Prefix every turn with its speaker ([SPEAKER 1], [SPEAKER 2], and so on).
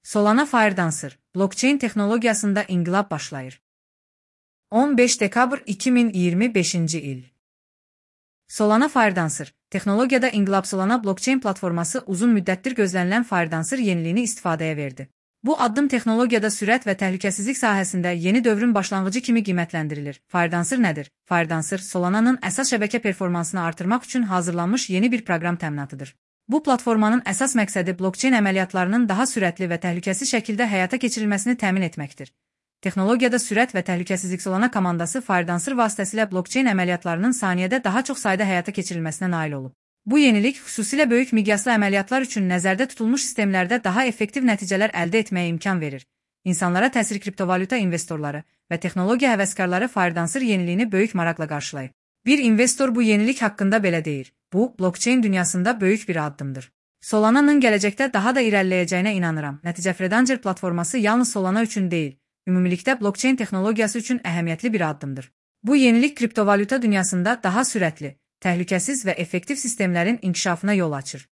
[SPEAKER 1] Solana Firedancer, blockchain texnologiyasında inqilab başlayır. 15 dekabr 2025-ci il. Solana Firedancer, texnologiyada inqilab. Solana blockchain platforması uzun müddətdir gözlənilən Firedancer yeniliyini istifadəyə verdi. Bu addım texnologiyada sürət və təhlükəsizlik sahəsində yeni dövrün başlanğıcı kimi qiymətləndirilir. Firedancer nədir? Firedancer, Solana'nın əsas şəbəkə performansını artırmaq üçün hazırlanmış yeni bir proqram təminatıdır. Bu platformanın əsas məqsədi blockchain əməliyyatlarının daha sürətli və təhlükəsiz şəkildə həyata keçirilməsini təmin etməkdir. Texnologiyada sürət və təhlükəsizlik. Solana komandası Firedancer vasitəsilə blockchain əməliyyatlarının saniyədə daha çox sayda həyata keçirilməsinə nail olub. Bu yenilik xüsusilə böyük miqyaslı əməliyyatlar üçün nəzərdə tutulmuş sistemlərdə daha effektiv nəticələr əldə etməyə imkan verir. İnsanlara təsir. Kriptovalyuta investorları və texnologiya həvəskarları Firedancer yeniliyini böyük maraqla qarşılayıb. Bir investor bu yenilik haqqında belə deyir: bu, blockchain dünyasında böyük bir addımdır. Solana'nın gələcəkdə daha da irəliləyəcəyinə inanıram. Nəticə Firedancer platforması yalnız Solana üçün deyil, ümumilikdə blockchain texnologiyası üçün əhəmiyyətli bir addımdır. Bu yenilik kriptovalyuta dünyasında daha sürətli, təhlükəsiz və effektiv sistemlərin inkişafına yol açır.